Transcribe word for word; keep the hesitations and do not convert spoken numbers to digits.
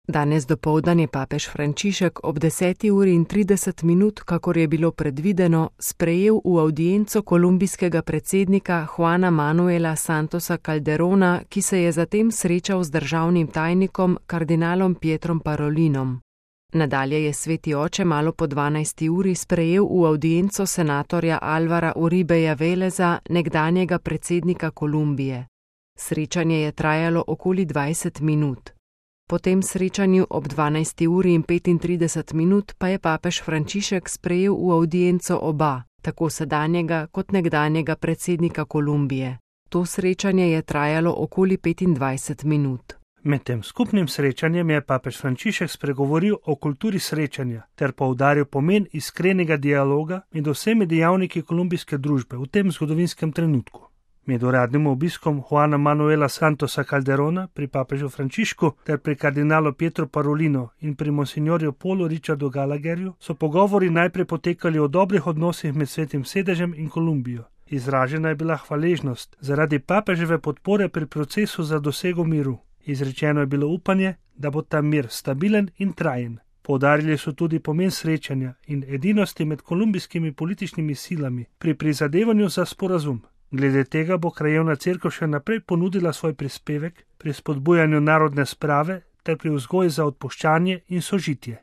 Danes dopoldan je papež Frančišek ob deseti uri in trideset minut, kakor je bilo predvideno, sprejel v avdienco kolumbijskega predsednika Juana Manuela Santosa Calderona, ki se je zatem srečal z državnim tajnikom kardinalom Pietrom Parolinom. Nadalje je sveti oče malo po dvanajsti uri sprejel v avdienco senatorja Alvara Uribeja Veleza, nekdanjega predsednika Kolumbije. Srečanje je trajalo okoli dvajset minut. Po tem srečanju ob dvanajsti uri in petintrideset minut pa je papež Frančišek sprejel v avdienco oba, tako sedanjega kot nekdanjega predsednika Kolumbije. To srečanje je trajalo okoli petindvajset minut. Med tem skupnim srečanjem je papež Frančišek spregovoril o kulturi srečanja ter poudaril pomen iskrenega dialoga med vsemi dejavniki kolumbijske družbe v tem zgodovinskem trenutku. Med uradnim obiskom Juana Manuela Santosa Calderona pri papežu Frančišku ter pri kardinalu Pietru Parolinu in pri monsignorju Paulu Richardu Gallagherju so pogovori najprej potekali o dobrih odnosih med Svetim sedežem in Kolumbijo. Izražena je bila hvaležnost zaradi papeževe podpore pri procesu za dosego miru. Izrečeno je bilo upanje, da bo ta mir stabilen in trajen. Poudarili so tudi pomen srečanja in edinosti med kolumbijskimi političnimi silami pri prizadevanju za sporazum. Glede tega bo krajevna cerkev še naprej ponudila svoj prispevek pri spodbujanju narodne sprave ter pri vzgoji za odpuščanje in sožitje.